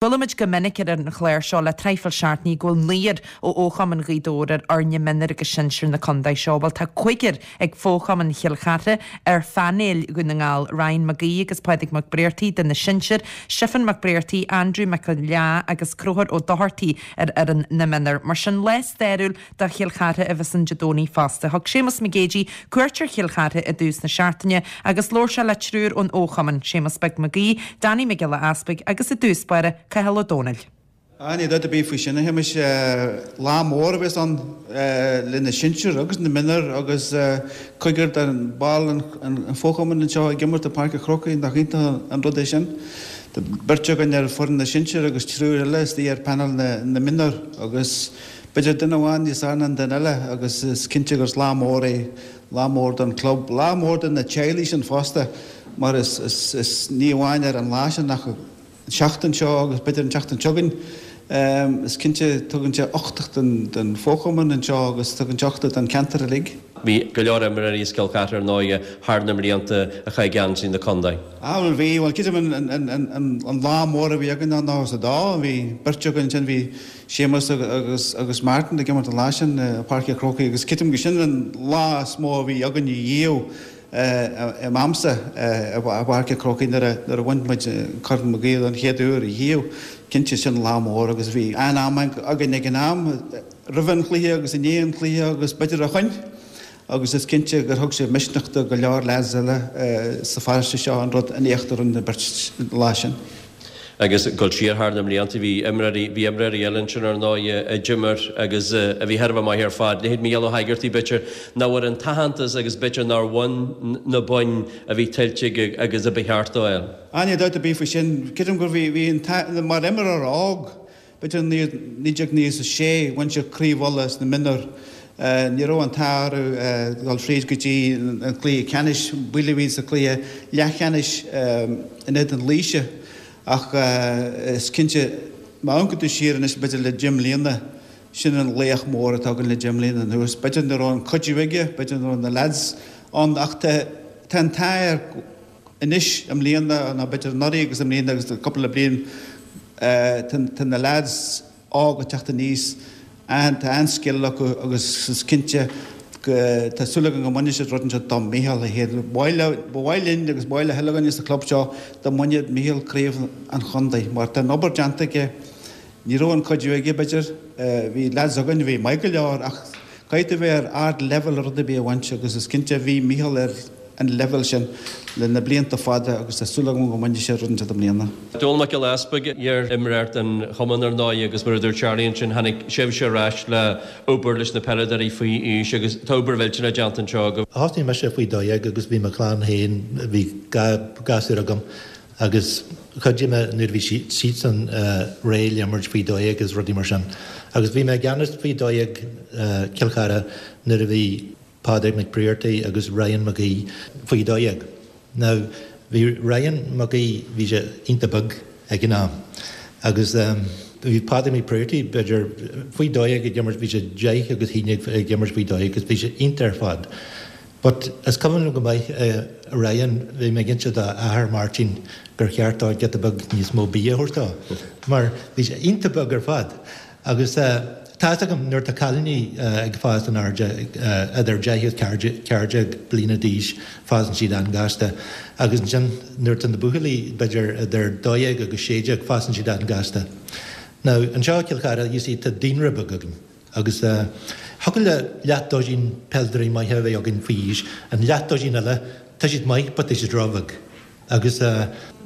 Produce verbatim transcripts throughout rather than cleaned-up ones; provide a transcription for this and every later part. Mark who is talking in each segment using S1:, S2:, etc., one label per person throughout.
S1: Buailimid go minic ar an chlár seo le traidhfil seachtainí go bhfuil naonúr ó fhochumann Ghaoth Dobhair ar fhoirne mionúir agus sinsir na contae seo. Bhuel tá cúigear ag fo-chumann Chill Chartha ar phainéal Dhún na nGall, Ryan Mac Aoidh agus Pádraig Mac Bréartaigh do na sinsir, Stiofán Mac Bréartaigh, Andrew Mac Leá agus Conchúr Ó Dochartaigh ar fhoireann na mionúr. Mar sin lá stairiúil do Chill Chartha a bheas ann Dé Domhnaigh fosta. Thug Séamus Mac Géidigh cuairt ar Chill Chartha i dtús na seachtaine agus labhair sé le triúr ón fhochumann, Séamus Beag Mac Aoidh, Danny Mac Giolla Easpaig agus i dtús báire Cathal Ó Dónaill.
S2: Ah, ní dabht ar bith faoi sin a Shéamais lá mór a bheas ann le na sinsir agus na mionúir agus cúigear den ball an fhochumann anseo ag imirt i Páirc an Chrócaigh, nach iontach an rud é sin. Tá beirt againn ar foireann na sinsear agus triúr eile istigh ar panel na na mionúr agus b'fhéidir duine amháin níos fearr ná an duine eile agus is cinnte gur lá mór é, lá mór don club, lá mór do na teaghlaigh sin fosta mar is is is ní amháin ar an lá sin ach an seachtain seo agus b'fhéidir an tseachtain seo chugainn. Is cinnte tugann sé uchtach don don fhochumann anseo agus tugann sé uchtach don ceantar uilig.
S3: Bhí go leor imreoirí as Cill Chartha ar ndóigh thar na mblianta a chaith geansaí na contae.
S2: Ah bhuel bhí, bhuel creidim an an an an lá mór a bhí againn ná nócha is a dó, bhí beirt againn ansin, bhí Séamus agus agus Martin ag imirt an lá sin i Páirc an Chrócaigh agus creidim go sin an lá is mó a bhí againn riamh i m'amsa i bPáirc an Chrócaigh nuair a nuair a bhain muid Corn Mag Aoidh don chéad uair riamh. Cinnte sin lá mór agus bhí an-am againn ag an am roimh an chluiche agus i ndiaidh an chluiche agus b'fhéidir ó shoin agus is cinnte gur thug sé misneach do go leor lads eile sa pharóiste seo an rud an éacht a rinne na beirt an lá sin.
S3: Agus dul siar thar na mblianta bhí imreoirí bhí imreoirí eile ansin ar ndóigh a d'imir agus a bhí thar a bheith maith ar fad. Leithéid Mícheál Ó hEigeartaigh b'fhéidir nach bhfuair an t-aitheantas agus b'fhéidir nár bhain na boinn a bhí tuillte aige agus a ba cheart dó a fháil.
S2: Ah níl dabht ar bith faoi sin. Creidim gur bhí bhí an mar imreoir óg b'fhéidir naoi déag naocha is a sé bhain sé Craobh Uladh sna mionúir. Ní raibh an t-ádh orthu dul fríd go dtí an cluiche ceannais, buaileadh iad sa chluiche leathcheannais in éadan Laoise. Ach is cinnte, má amharcann tú siar anois b'fhéidir le deich mbliana, sin an laoch mór atá againn le deich mbliana anuas. B'fhéidir nach raibh an cuidiú aige, b'fhéidir nach raibh na lads ann ach tá an t-ádh air anois i mbliana nó b'fhéidir anuraidh agus i mbliana agus cúpla bliain, tá na lads óg ag teacht aníos. Tá an-scil acu agus is cinnte go, tá súil agam go mbainfidh siad rud inteacht do Mhícheál é féin. Ba mhaith linn agus ba mhaith le chuile dhuine sa chlub seo dá mbainfeadh Mícheál craobh an chontae mar tá an obair déanta aige. Ní raibh an cuidiú aige b'fhéidir, bhí lads againn a bhí maith go leor ach caithfidh tú bheith ar ard leibhéal le rud ar bith a bhaint agus is cinnte bhí Mícheál ar an leibhéal sin le na blianta fada agus tá súil agam go mbainfidh sé rud inteacht i mbliana.
S3: Dónall Mac Giolla Easpaig, iar-imreoir den chumann ar ndóigh agus mar a dúirt Charlie ansin tháinig sibhse ar ais le obair leis na peileadóirí faoi aois agus tá obair mhillteanach déanta anseo agaibh.
S4: Thosnaigh mise faoi dó dhéag agus bhí mo chlann féin, bhí dhá ghasúr agam agus chuidigh mé nuair a bhí siadsan réidh le imirt faoi dó dhéag agus rudaí mar sin. Agus bhí mé i gceannas faoi dó dhéag Cill Chartha nuair a bhí Pádraig Mac Briartaigh agus Ryan Mac Aoidh faoi dó dhéag. Now bhí Ryan Mac Aoidh, bhí sé iontach beag ag an am agus bhí Pádraig Mac Briartaigh b'fhéidir faoi dó dhéag ag imirt, bhí sé deich agus haon déag ag imirt faoi dó dhéag agus bhí sé iontach ar fad. But is cuimhin liom go maith Ryan, bhí mé ag inse dá athair Máirtín gur cheart dó giota beag níos mó bia a thabhairt dó mar bhí sé iontach beag ar fad. Agus tá fhios agam nuair atá cailíní ag fás in airde idir deich agus ceathair déag bliana d'aois fásann siad an-ghasta agus ansin nuair atá na buachaillí b'fhéidir idir dó dhéag agus sé déag fásann siad an-ghasta. Now anseo i Cill Chartha you see tá daonra beag againn agus thiocfadh le leath doisín peileadóirí maithe a bheith againn faoi aois, an leath doisín eile tá siad maith but tá siad róbheag. Agus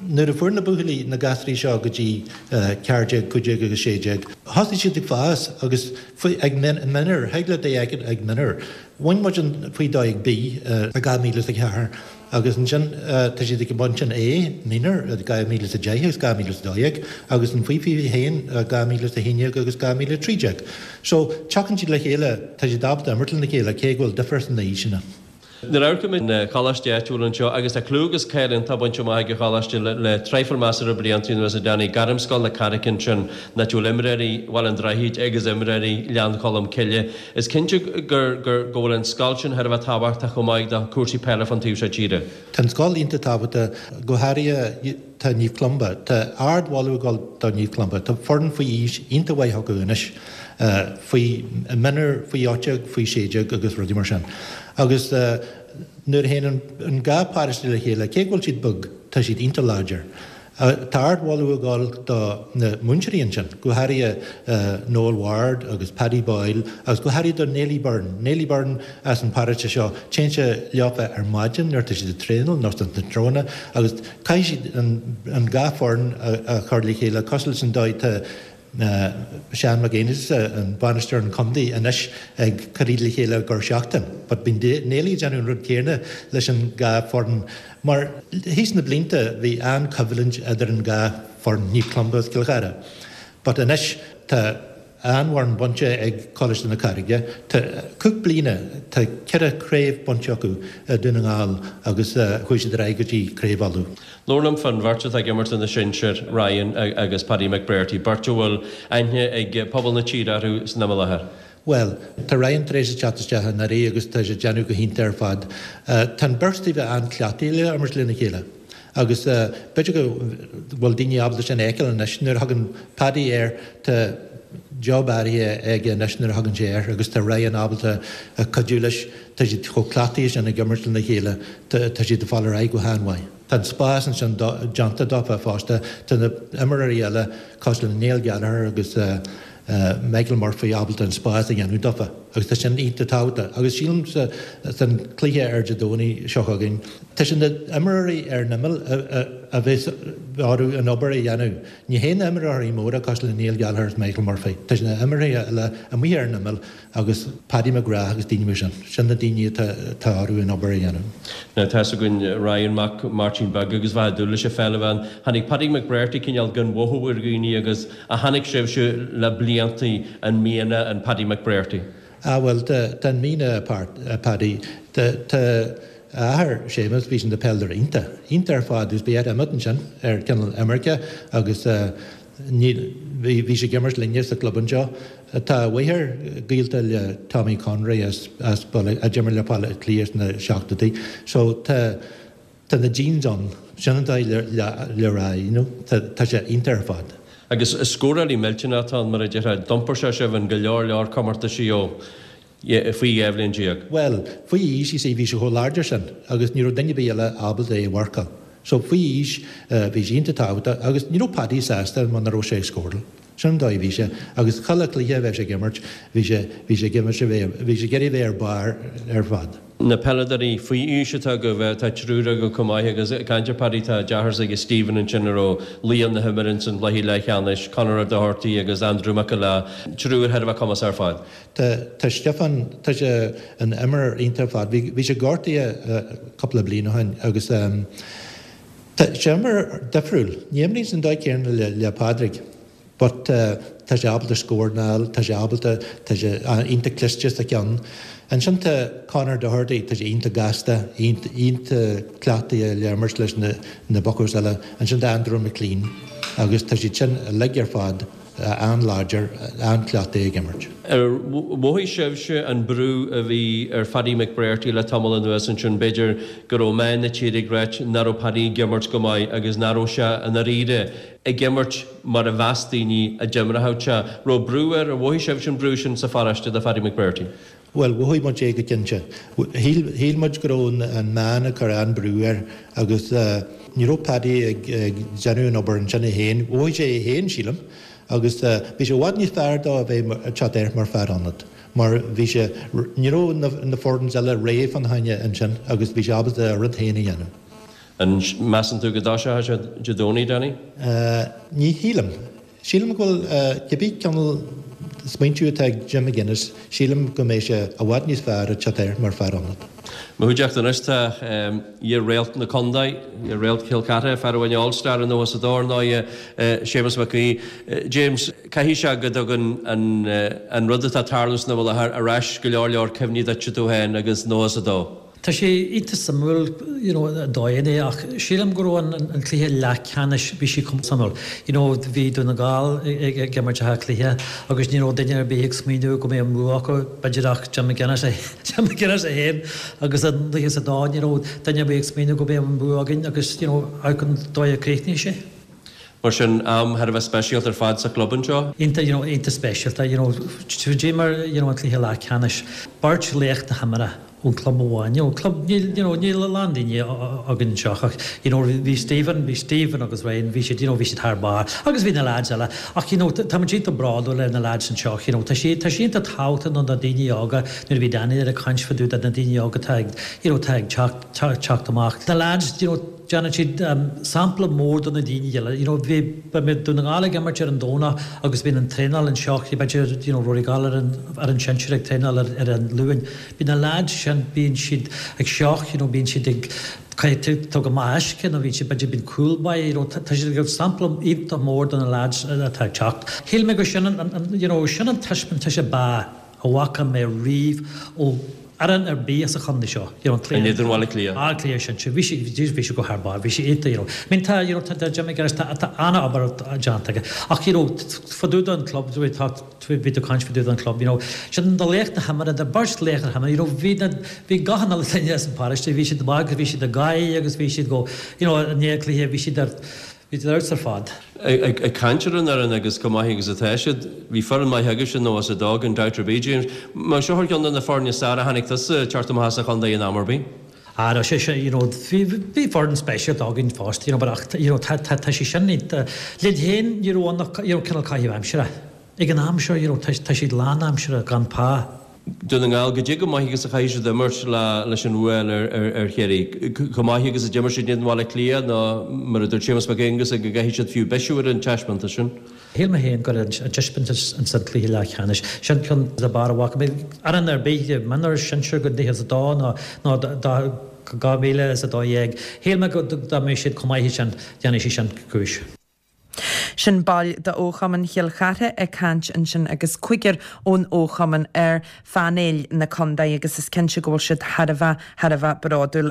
S4: nuair a fuair na buachaillí, na gasraí seo go dtí ceathair déag, cúig déag agus sé déag, thosaigh siad ag fás agus faoi, ag mionúir, thig leat é a fheiceáil ag mionúir. Bhain muid an faoi dó dhéag B i dhá mhíle is a ceathair agus ansin tá siad ag baint an A, mionúir, i dhá mhíle is a deich agus dhá mhíle is a dó dhéag agus an faoi fiche haon i dhá mhíle is a haon déag agus dhá mhíle a trí déag. So teagann siad le chéile, tá siad ábalta imirt lena chéile cé go bhfuil difear sna haoiseanna.
S3: Nuair a amharcaimid ar an choláiste áitiúil anseo, agus tá clú agus cáil iontach bainte amach ag an choláiste le traidhfil measartha blianta anuas a Danny, Gairmscoil na Carraice ansin, áit a bhfuil imreoirí Bhaile an Droichid agus imreoirí Ghleann Cholm Cille. Is cinnte gur gur go bhfuil an scoil sin thar a bheith tábhachtach chomh maith do chúrsaí peile fán taobh seo tíre.
S4: Tá an scoil iontach tábhachtach, go háirithe tá Naomh Columba. Tá ardmholadh ag dul do Naomh Columba. Tá foireann faoi aois iontach mhaith acu anois, faoi mionúir, faoi ocht déag, faoi sé déag agus rudaí mar sin. Agus nuair a théann an dhá paróiste le chéile, cé go bhfuil siad beag, tá siad iontach láidir. Tá ardmholadh ag dul do na múinteoirí ansin, go háirithe Noel Ward agus Paddy Boyle agus go háirithe do Neily Byrne. Neily Byrne as an bparóiste seo, téann sé leofa ar maidin nuair atá siad ag traenáil nó san tráthnóna agus caithfidh siad an dhá foireann a chur le chéile cosúil leis an dóigh tá Seán Mac Aonghusa, an bainisteoir an chontae anois ag cur iad le chéile gach seachtain. But bíonn Neily ag déanamh an rud céanna leis an dhá foireann mar thíos na blianta bhí an-choimhlint idir an dhá foireann, Naomh Columba agus Cill Chartha. But anois tá an-fhoireann bainte ag Coláiste na Carraige. Tá cúpla bliana tá ceithre chraobh bainte acu i Dún na nGall agus chuaigh siad ar aghaidh go dtí Craobh Uladh.
S3: Labhair liom fán bheirt atá ag imirt do na sinsir, Ryan agus Paddy McBrearty, beirt a bhfuil aithne ag pobal na tíre orthu san am i láthair.
S4: Bhuel, tá Ryan tar éis teacht isteach anuraidh agus tá sé ag déanamh go hiontach ar fad. Tá an bheirt díobh an-chleachtaithe le imirt lena chéile. Agus b'fhéidir go bhfuil daoine ábalta sin a fheiceáil anois nuair a thagann Paddy air tá job áirithe aige anois nuair a thagann sé air agus tá Ryan ábalta cuidiú leis. Tá siad chomh cleachtaithe sin ag imirt lena chéile, tá siad ag fáil ar aghaidh go han-mhaith. Tá an spás ansin déanta dófa fosta. Tá na imreoirí eile cosúil le Niall Gallagher agus Michael Murphy ábalta an spás a dhéanamh dófa agus tá sin iontach tábhachtach. Agus sílim sa san cluiche ar Dé Domhnaigh seo chugainn, tá sin na imreoirí ar an imeall a bheas orthu an obair a dhéanamh. Ní hé na imreoirí móra cosúil le Niall Gallagher agus Michael Murphy. Tá sin na imreoirí eile amuigh ar an imeall agus Paddy McGrath agus daoine mar sin. Sin na daoine atá orthu an obair a dhéanamh.
S3: Now tá fhios againn Ryan mac Máirtín Beag agus bheith dúil leis an pheil a bhean. Tháinig Paddy McBrearty cineál gan mhothú ar dhaoine agus a tháinig sibhse le blianta an mianach an Paddy McBrearty.
S4: Ah well tá an mianach Paddy tá a athair Séamus bhí sin ina pheileadóir iontach. Iontach ar fad agus bhí air imeacht ansin ar cineál imirce agus ní bhí sé ag imirt linne sa club anseo. Tá a mháthair gaolta le Tommy Conroy as as a d'imir le Baile Átha Cliath sna seachtóidí. So tá tá na genes ann sin an dóigh le le le rá you know tá tá sé iontach ar fad.
S3: Agus scórálaí millteanach atá ann mar a déarfá d'iompair sé sibh in go leor leor comórtaisí ó faoi dhá bhliain déag.
S4: Well, faoi aois you see bhí sé chomh láidir sin agus ní raibh duine ar bith eile ábalta é a mharcáil. So faoi aois bhí sé iontach tábhachtach agus ní raibh Paddy sásta muna raibh sé ag scóráil. Sin an dóigh a bhí sé agus chuile chluiche a bheith sé ag imirt bhí sé bhí sé ag imirt a bheith bhí sé ag iarraidh bheith ar barr ar fad.
S3: Na peileadóirí faoi aois atá agaibh tá triúr agaibh chomh maith agus ag caint ar Paddy tá deartháir s'aige Stephen ansin a raibh laoch na himeartha san gcluiche leathcheannais, Conor O'Doherty agus Andrew McAlea, triúr thar a bheith cumasach ar fad.
S4: Tá tá Stiofán tá sé ina imreoir iontach ar fad. Bhí bhí sé gortaithe cúpla bliain ó shin agus tá sé imreoir difriúil. Ní imríonn san dóigh céanna le le Pádraig. But tá sé ábalta scóráil, tá sé ábalta tá sé iontach cliste sa cheann. Ansin tá Conor Doherty, tá sé iontach gasta, iontach cleachtaithe le imirt leis na na buccos eile. Ansin tá Andrew McLean agus tá siad sin uilig ar fad an-láidir, an-chleachtaithe ag imirt.
S3: Ar mhothaigh sibhse an brú a bhí ar Phaddy McBrearty le tamall anuas ansin b'fhéidir go raibh meáin na tíre ag ráit nach raibh Paddy ag imirt go maith agus nach raibh sé i ndáiríre ag imirt mar a mheas daoine a d'imreodh sé. Raibh brú air ar mhothaigh sibhse an brú sin sa pharóiste do Phaddy McBrearty.
S4: Well, mhothaigh muid é go cinnte. Shíl muid go raibh an meán ag cur an-brú air agus ní raibh Paddy ag déanamh an obair ansin é féin. Mhothaigh sé é féin, sílim, agus bhí sé i bhfad níos fearr dó a bheith ag teacht air mar fear ionaid. Mar bhí sé ní raibh na, na foirne eile réidh fána choinne ansin agus bhí sé ábalta a rud féin a dhéanamh.
S3: An measann tú go dtoiseoidh sé Dé Domhnaigh, Danny?
S4: Ní shílim. Sílim go bhfuil cibé cineál smaointiú atá ag Jim McGuinness, sílim go mbeidh sé i bhfad níos fearr ag teacht air mar fear ionaid.
S3: Mo chuideachta anois tá iar-réalt na contae, iar-réalt Chill Chartha, fear a bhain All-Star i nócha is a dó ar ndóigh, Séamus Mac Aoidh. James, caithfidh sé go dtugann an rud atá ag tarlú san am i láthair ar ais go leor leor cuimhní duit tú féin agus nócha is a dó.
S5: Tá sé iontach suimiúil you know dóigh é ach sílim go raibh an an cluiche leathcheannais bhí sé chomh suimiúil. You know bhí Dún na nGall ag imirt Átha Cliath agus ní raibh duine ar bith ag smaoineamh go mbeadh an bua acu b'fhéidir ach Jim McGuinness Jim McGuinness é féin agus an nócha is a dó ní raibh duine ar bith ag smaoineamh go mbeadh an bua againn agus you know amharc an dóigh a chríochnaigh sé.
S3: Mar sin am thar a bheith speisialta ar fad sa chlub anseo.
S5: Iontach you know iontach speisialta you know d'imir you know an cluiche leathcheannais beirt laoch na himeartha ón club amháin you know club níl you know níl a lán daoine againn anseo ach you know bhí Stephen bhí Stephen agus Ryan bhí siad you know bhí siad thar barr agus bhí na lads eile ach you know tá muid iontach bródúil ar na lads anseo you know tá sé tá sé iontach tábhachtach do na daoine óga nuair a bhí Daniel ag caint fá dtaobh de na daoine óga atá ag you know atá ag teacht teacht amach na lads you know déanann siad sampla mór do na daoine eile. You know, bhí bhí Dún na nGall ag imirt ar an Domhnach agus bíonn an traenáil anseo, b'fhéidir you know, Rory Gall ar an, ar an sinsir ag traenáil ar, ar an Luan. Bíonn na lads sin, bíonn siad ag seoch, you know, bíonn siad ag tógáil amach uisce nó bíonn siad b'fhéidir bíonn cúl báire, you know, tá siad ag sampla iontach mór do na lads atá ag teacht. Shíl mé go sin an, an, you know, sin an taispeántas ab fhearr a bhfaca mé riamh ó fhoireann ar bith as an chontae seo. You know,
S3: In éadan Bhaile Átha Cliath.
S5: Átha Cliath sin bhí sé bhí sé go thar barr, bhí sé iontach, you know. I mean tá you know, tá Jimmy McGuinness tá tá an-obair déanta aige. Ach you know, fá dtaobh den club tá bhí tú caint fá dtaobh den club, you know. Sin na laoch na himeartha, na beirt laoch na himeartha, you know, bhí na bhí gach an uile duine as an pharóiste, bhí siad amach agus bhí siad ag gáire agus bhí siad go you know, i ndiaidh cluiche bhí siad ar bhí siad ar fad.
S3: Ag caint ar an fhoireann agus chomh maith agus atá siad, bhí foireann maith agaibhse nócha is a dó gan dabht ar bith, James. Mar seo ar cheann de na foirne is fearr a chonaic tusa teacht amach as an chontae in am ar bith.
S5: Ah, no, sé sé, you know, bhí bhí foireann speisialta againn fosta, you know, but ach, you know, tá tá tá sé sin linn féin ní raibh ann you know, cineál caitheamh aimsire. Ag an am seo, you know, tá tá siad lán aimsire gan pá.
S3: Dún na nGall goidé chomh maith agus a chaithfidh siad imirt le leis an bhua ar ar ar Chiarraí. Chomh maith agus a d'imir siad in Bhaile Átha Cliath nó mar a dúirt Séamus Mac Aonghus go gcaithfidh siad fiú bisiú ar an taispeántas sin.
S5: Shíl mé féin gur an taispeántas an san cluiche leathcheannais sin ceann de bharr a bhfaca mé fhoireann ar bith mionúr sinsir go nócha is a dó nó nó dhá mhíle is a dó dhéag. Shíl mé go dá mbeadh siad chomh maith sin déanfaidh sé sin cúis.
S1: Sin baill de Fhochumann Chill Chartha ag caint ansin agus cúigear ón Fhochumann ar phainéal na contae agus is cinnte go bhfuil siad thar a bheith thar a bheith bródúil.